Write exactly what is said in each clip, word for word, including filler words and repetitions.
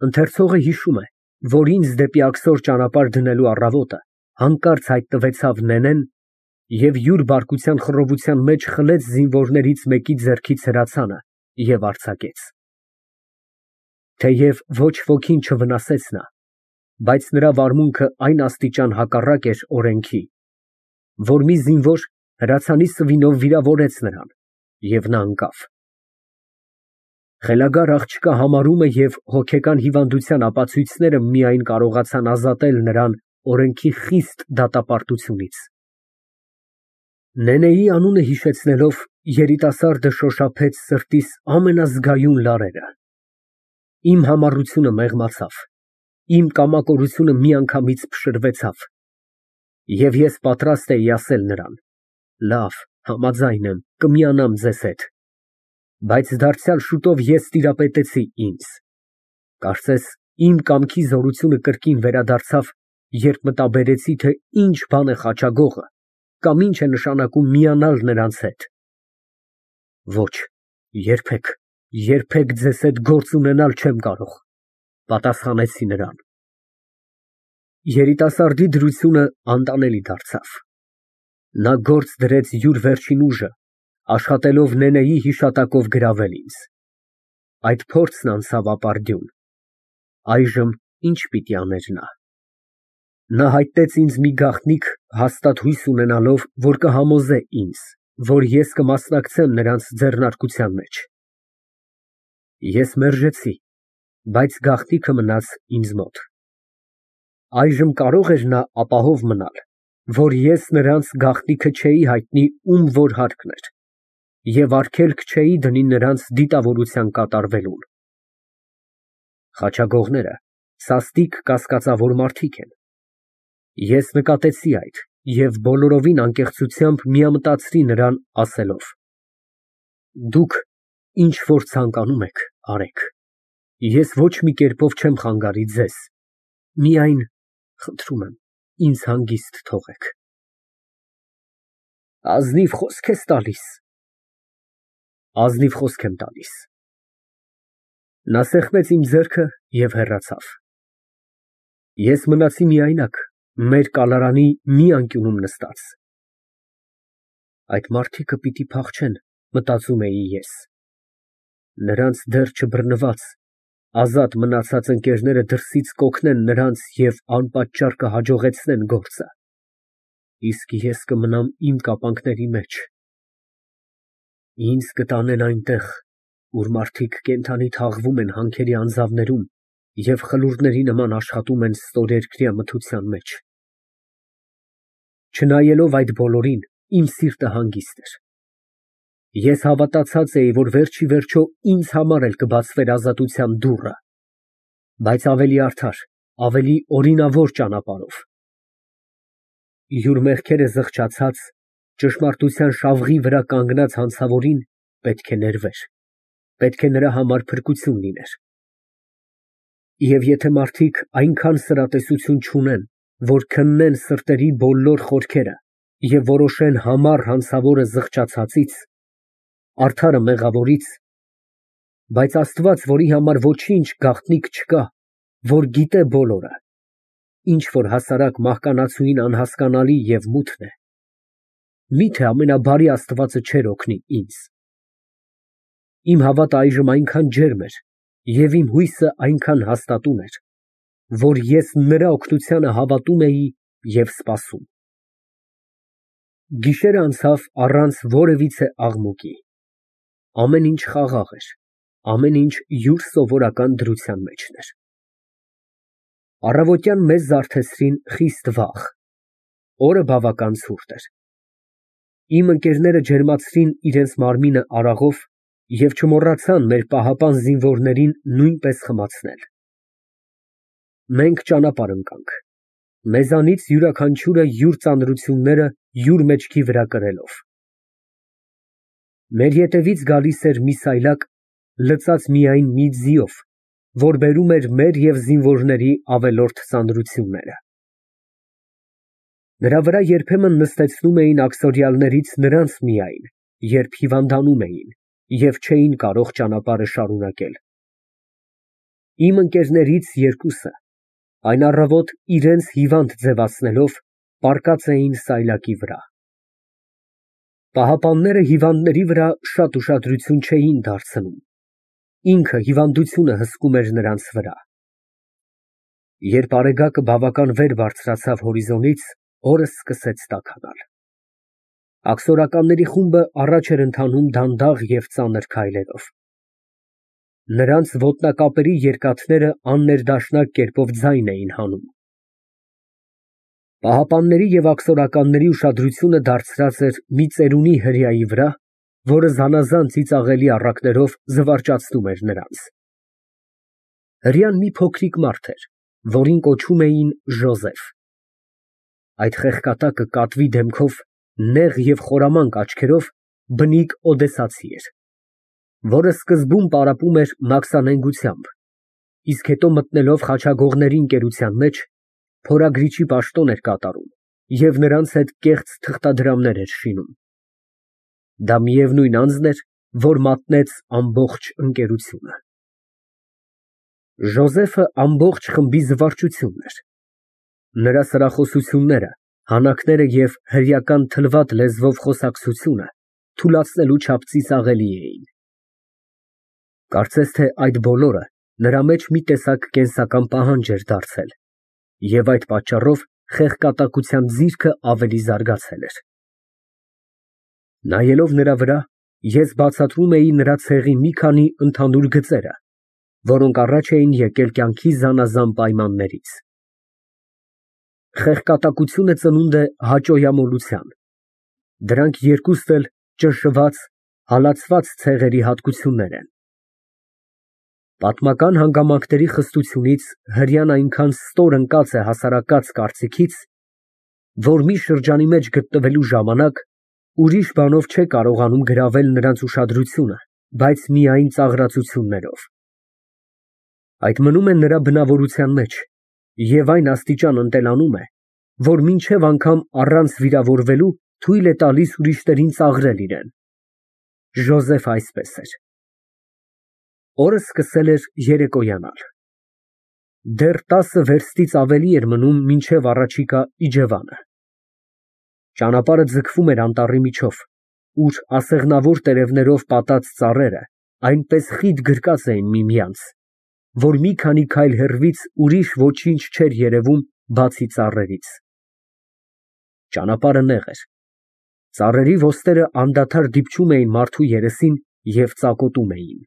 Ընթերցողը հիշում է, որ ինձ դեպի աքսոր ճանապարհ դնելու առավոտը հանկարծ հայտնվեցավ Նենեն և յուր բարկության խռովության մեջ խլեց զինվորներից մեկի ձեռքից հրացանը և արձակեց։ Թեև ոչ ոքին չվնասեց նա, բայց նրա վարմունքը այն աստիճան հակառակ էր օրենքի, որ մի զինվոր հրացանի սվինով վիրավորեց նրան, և նա ընկավ։ Խելագար աղջկա համարումը և հոգեկան հիվանդության ապացույցները միայն կարողացան ազատել նրան օրենքի խիստ դատապարտությունից։ Նենեի անունը հիշեցնելով, երիտասարդը շոշափեց սրտիս ամենազգայուն լարերը։ Իմ համառությունը մեղմացավ, իմ կամակորությունը միանգամից փշրվեցավ, և ես պատրաստ էի ասել նրան. «Լավ, համաձայն եմ, կմիանամ ձեզ հետ»։ Բայց դարձյալ շուտով ես տիրապետեցի ինձ։ Կարծես իմ կամքի զորությունը կրկին վերադարձավ, երբ մտաբերեցի, թե ինչ բան է խաչագողը կամ ինչ է նշանակում միանալ նրանց հետ։ Ոչ, երբեք, երբեք ձեզ հետ գործ ունենալ չեմ կարող, պատասխանեցի նրան։ Երիտասարդի դրությունը անտանելի դարձավ։ Նա գործ դրեց յուր վերջին ուժը, աշխատելով Նենեի հիշատակով գրավել ինձ։ Այդ փորձն անցավ ապարդյուն։ Այժմ ի՞նչ պիտի աներ նա։ Նա հայտնեց ինձ մի գաղտնիք, հաստատ հույս ունենալով, որ կհամոզե ինձ, որ ես կմասնակցեմ նրանց ձեռնարկության մեջ։ Ես մերժեցի, բայց գաղտնիքը մնաց ինձ մոտ։ Այժմ կարո՞ղ էր նա ապահով մնալ, որ ես նրանց գաղտնիքը չէի հայտնի ում որ հարկն էր, և արգելք չէի դնի նրանց դիտավորության կատարվելուն։ Խաչագողները սաստիկ կասկածավոր մարդիկ են։ Ես նկատեցի այդ և բոլորովին անկեղծությամբ միամտածրի նրան, ասելով. «Դուք ինչ որ ցանկանում եք, արեք, ես ոչ մի կերպով չեմ խանգարի ձեզ, միայն, խնդրում եմ, ինձ հանգիստ թողեք»։ Ազնիվ խոսք ես տալիս։ Ազնիվ խոսք եմ տալիս։ Նա սեղմեց իմ ձեռքը և հեռացավ։ Ես մնացի միայնակ, մեր կալարանի մի անկյունում նստած։ Այդ մարդիկը պիտի փախչեն, մտածում էի ես։ Նրանց դեռ չբռնված, ազատ մնացած ընկերները դրսից կօգնեն նրանց և անպատճառ կհաջողեցնեն գործը, իսկ ես կմնամ իմ կապանքների մեջ։ Ինձ կտանեն այնտեղ, ուր մարդիկ կենդանի թաղվում են հանքերի անձավներում և խլուրդների նման աշխատում են ստորերկրյա մթության մեջ։ Չնայելով այդ բոլորին, իմ սիրտը հանգիստ էր։ Ես հավատացած էի, որ վերջիվերջո ինձ համար էլ կբացվեր ազատության դուռը, բայց ավելի արդար, ավելի օրինավոր ճանապարհով։ Յուր մեղքերը զղջացած, ճշմարտության շավղի վրա կանգնած հանցավորին պետք է ներվեր, պետք է նրա համար փրկություն լիներ։ Եվ եթե մարդիկ այնքան սրատեսություն չունեն, որ քննեն սրտերի բոլոր խորքերը և որոշեն համառ հանցավորը զղջացածից, արդարը մեղավորից, բայց Աստված, որի համար ոչինչ գաղտնիք չկա, որ գիտե բոլորը, ինչ որ հասարակ մահկանացուին անհասկանալի և մութն է, մի՞թե ամենաբարի Աստվածը չէր օգնի ինձ։ Իմ հավատը այժմ այնքան ջերմ էր և իմ հույսը այնքան հաստատուն էր, որ ես նրա օգնությանը հավատում էի և սպասում։ Գիշերն անցավ առանց որևիցե աղմուկի։ Ամեն ինչ խաղաղ էր, ամեն ինչ յուր սովորական դրության մեջն էր։ Առավոտյան մեզ զարթեցրին խիստ վաղ, օրը բավական ցուրտ էր։ Իմ ընկերները ջերմացրին իրենց մարմինը արաղով և չմոռացան մեր պահապան զինվորներին նույնպես խմացնել։ Մենք ճանապարհ ընկանք, մեզանից յուրաքանչյուրը յուր ծանրությունները յուր մեջքի վրա կրելով։ Մեր ետևից գալիս էր մի սայլակ, լցած միայն մի ձիով, որ բերում էր մեր և զինվորների ավելորդ ծանրությունները։ Նրա վրա երբեմն նստեցնում էին աքսորյալներից նրանց միայն, երբ հիվանդանում էին և չէին կարող ճանապարհը շարունակել։ Իմ ընկերներից երկուսը այն առավոտ իրենց հիվանդ ձևացնելով պառկած էին սայլակի վրա։ Պահապանները հիվանդների վրա շատ ուշադրություն չէին դարձնում, ինքը հիվանդությունը հսկում էր նրանց վրա։ Երբ արեգակը բավական վեր բարձրացավ հորիզոնից, օրը սկսեց տաքանալ։ Աքսորականների խումբը առաջ էր ընթանում դանդաղ և ծանր քայլերով։ Նրանց ոտնակապերի երկաթները աններդաշնակ կերպով ձայն էին հանում։ Պահապանների և աքսորականների ուշադրությունը դարձած էր մի ծերունի հրեայի վրա, որը զանազան ծիծաղելի առակներով զվարճացնում էր նրանց։ Հրեան մի փոքրիկ մարդ էր, որին կոչում էին Ժոզեֆ։ Այդ խեղկատակը կատվի դեմքով, նեղ և խորամանկ աչքերով բնիկ օդեսացի էր, որը սկզբում պարապում էր մաքսանենգությամբ, իսկ հետո մտնելով խաչագողների ընկերության մեջ, փորագրիչի պաշտոն էր կատարում և նրանց հետ կեղծ թղթադրամներ էր շինում։ Դա միևնույն անձն էր, որ մատնեց ամբողջ ընկերությունը։ Ժոզեֆը ամբողջ խմբի զվարճությունն էր։ Նրա սրախոսությունները, հանակները և հրեական թլվատ լեզվով խոսակցությունը թուլացնելու չափ ծիծաղելի էին։ Կարծես թե այդ բոլորը նրա մեջ մի տեսակ կենսական պահանջ էր դարձել, և այդ պատճառով խեղկատակության ձիրքը ավելի զարգացել էր։ Նայելով նրա վրա, ես բացատրում էի նրա ցեղի մի քանի ընդհանուր գծերը, որոնք առաջ էին եկել կյանքի զանազան պայմաններից։ Խեղկատակությունը ծնունդ է հաճոյամոլության, դրանք երկուսն էլ ճնշված, հալածված ցեղերի հատկություններ են։ Պատմական հանգամանքների խստությունից հրեան այնքան ստոր ընկած է հասարակած կարծիքից, որ մի շրջանի մեջ գտնվելու ժամանակ ուրիշ բանով չէ կարողանում գրավել նրանց ուշադրությունը, բայց միայն ծաղրածություններով։ Այդ մնում է նրա բնավորության մեջ և այն աստիճան ընտելանում է, որ մինչև անգամ առանց վիրավորվելու թույլ է տալիս ուրիշներին ծաղրել իրան։ Ժոզեֆը այսպես էր։ Օրը սկսել էր երեկոյանալ։ Դեռ տասը վերստից ավելի էր մնում մինչև առաջիկա իջևանը։ Ճանապարհը ձգվում էր անտառի միջով, ուր ասեղնավոր տերևներով պատած ծառերը այնպես խիտ գրկած էին միմյանց, որ մի քանի քայլ հեռվից ուրիշ ոչինչ չէր երևում, բացի ծառերից։ Ճանապարհը նեղ էր։ Ծառերի ոստերը անդադար դիպչում էին մարդու երեսին և ծակոտում էին։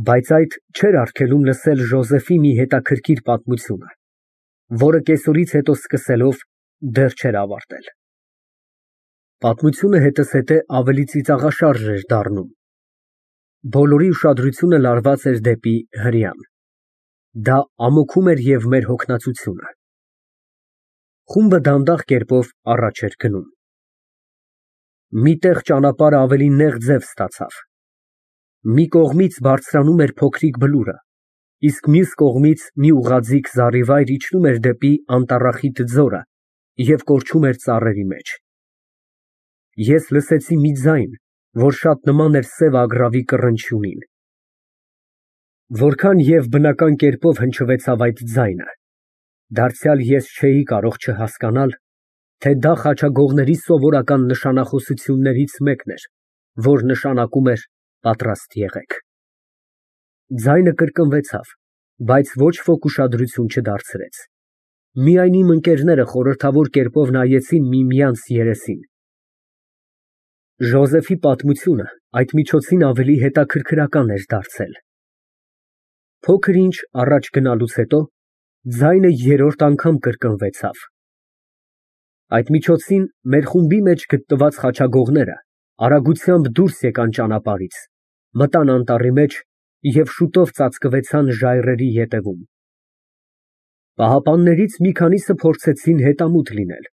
Բայց այդ չէր արգելում լսել Ժոզեֆի մի հետաքրքիր պատմությունը, որը կեսօրից հետո սկսելով դեռ չէր ավարտել։ Պատմությունը հետզհետե ավելի ծիծաղաշարժ էր դառնում։ Բոլորի ուշադրությունը լարված էր դեպի հրեան։ Դա ամոթում էր և մեր հոգնածությունը։ Խումբը դանդաղ կերպով առաջ էր գնում։ Մի տեղ ճանապարհը ավելի նեղ ձև ստացավ։ Մի կողմից բարձրանում էր փոքրիկ բլուրը, իսկ մյուս կողմից մի ուղղաձիգ զառիվայր իջնում էր դեպի անտառախիտ ձորը և կորչում էր ծառերի մեջ։ Ես լսեցի մի ձայն, որ շատ նման էր սև ագռավի կռնչյունին։ Որքան և բնական կերպով հնչվեցավ այդ ձայնը, դարձյալ ես չէի կարող չհասկանալ, թե դա խաչագողների սովորական նշանախոսություններից մեկն էր, որ նշանակում էր «պատրաստ եղեք»։ Ձայնը կրկնվեցավ, բայց ոչ ոք ուշադրություն չդարձրեց։ Միայն իմ ընկերները խորհրդավոր կերպով նայեցին միմյանց երեսին։ Ժոզեֆի պատմությունը այդ միջոցին ավելի հետաքրքրական էր դարձել։ Փոքր ինչ առաջ գնալուց հետո ձայնը երրորդ անգամ կրկնվեցավ։ Այդ միջոցին մեր խումբի մեջ գտնված խաչագողները արագությամբ դուրս եկան ճանապարհից, մտան անտառի մեջ և շուտով ծածկվեցան ժայռերի ետևում։ Պահապաններից մի քանիսը փորձեցին հետամուտ լինել,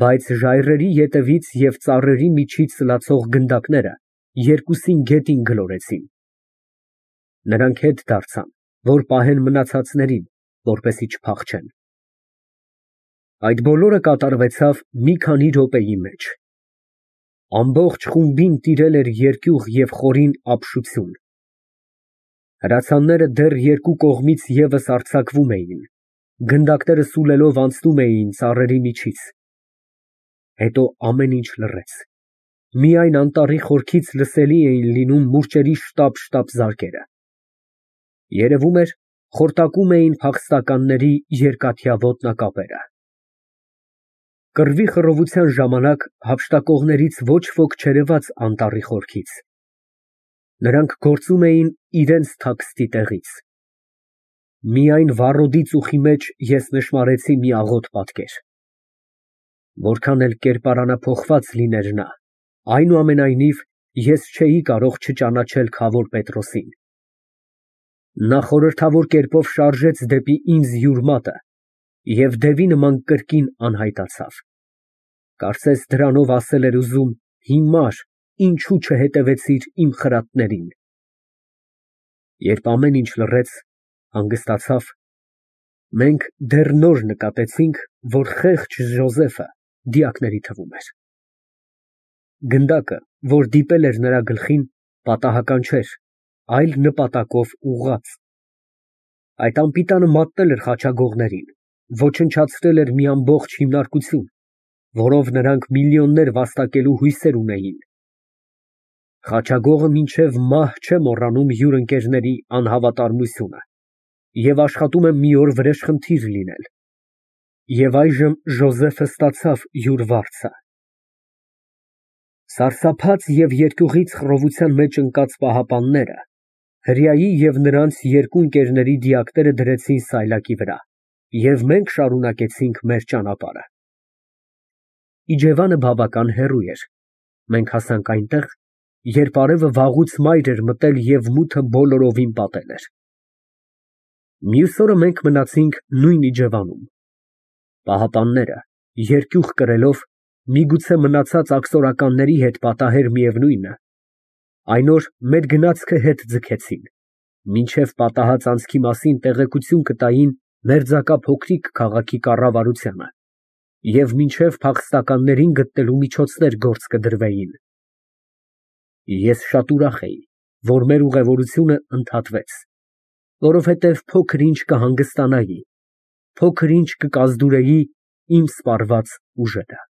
բայց ժայռերի ետևից և ծառերի միջից ծլացող գնդակները երկուսին գետին գլորեցին։ Նրանք հետ դարձան, որ պահեն մնացածներին, որպեսզի չփախչեն։ Այդ բոլորը կատարվեցավ մի քանի րոպեի մեջ։ Ամբողջ խումբին տիրել էր երկյուղ և խորին ապշություն։ Հրացանները դեռ երկու կողմից ևս արձակվում էին, գնդակները սուլելով անցնում էին ծառերի միջից։ Հետո ամեն ինչ լռեց, միայն անտառի խորքից լսելի էին լինում մուրճերի շտապ֊շտապ զարկերը։ Երևում էր, խորտակում էին փախստականների երկաթյա ոտնակապերը։ Կռվի խռովության ժամանակ հափշտակողներից ոչ ոք չերևաց անտառի խորքից։ Նրանք գործում էին իրենց թաքստի տեղից։ Միայն վառոդի ծուխի մեջ ես նշմարեցի մի աղոտ պատկեր։ Որքան էլ կերպարանափոխված լիներ նա, այնուամենայնիվ ես չէի կարող չճանաչել Քավոր Պետրոսին։ Նա խորհրդավոր կերպով շարժեց դեպի ինձ յուր մատը և դևի նման կրկին անհայտացավ։ Կարծես դրանով ասել էր ուզում. հիմար, ինչու չհետևեցիր իմ խրատներին։ Երբ ամեն ինչ լռեց, հանգստացավ, մենք դեռ նոր նկատեցինք, որ խեղճ Ժոզեֆը դիակների թվում էր։ Գնդակը, որ դիպել էր նրա գլխին, պատահական չէր, այլ նպատակով ուղղած։ Այդ անպիտանը մատնել էր խաչագողներին, ոչնչացրել էր մի ամբողջ հիմնարկություն, որով նրանք միլիոններ վաստակելու հույսեր ունեին։ Խաչագողը մինչև մահ չէ մոռանում յուր ընկերների անհավատարմությունը և աշխատում է մի օր վրեժխնդիր լինել։ Եվ այժմ Ժոզեֆը ստացավ յուր վարձը։ Սարսափած և երկյուղից խռովության մեջ ընկած պահապանները հրեայի և նրանց երկու ընկերների դիակները դրեցին սայլակի վրա, և մենք շարունակեցինք մեր ճանապարհը։ Իջևանը բավական հեռու էր, մենք հասանք այնտեղ, երբ արևը վաղուց մայր էր մտել և մութը բոլորովին պատել էր։ Մյուս օրը մենք մնացինք նույն իջևանում։ Պահապանները, երկյուղ կրելով, միգուցե մնացած աքսորականների հետ պատահեր միևնույնը, այն օր մեր գնացքը հետ ձգեցին, մինչև պատահած անցքի մասին տեղեկություն կտային մերձակա փոքրիկ քաղաքի կառավարությանը և մինչև փախստականներին գտնելու միջոցներ գործ կդրվեին։ Ես շատ ուրախ էի, որ մեր ուղևորությունը ընդհատվեց, որովհետև փոքր ինչ կհանգստանայի, փոքր ինչ կկազդուրեի իմ սպառված ուժերը։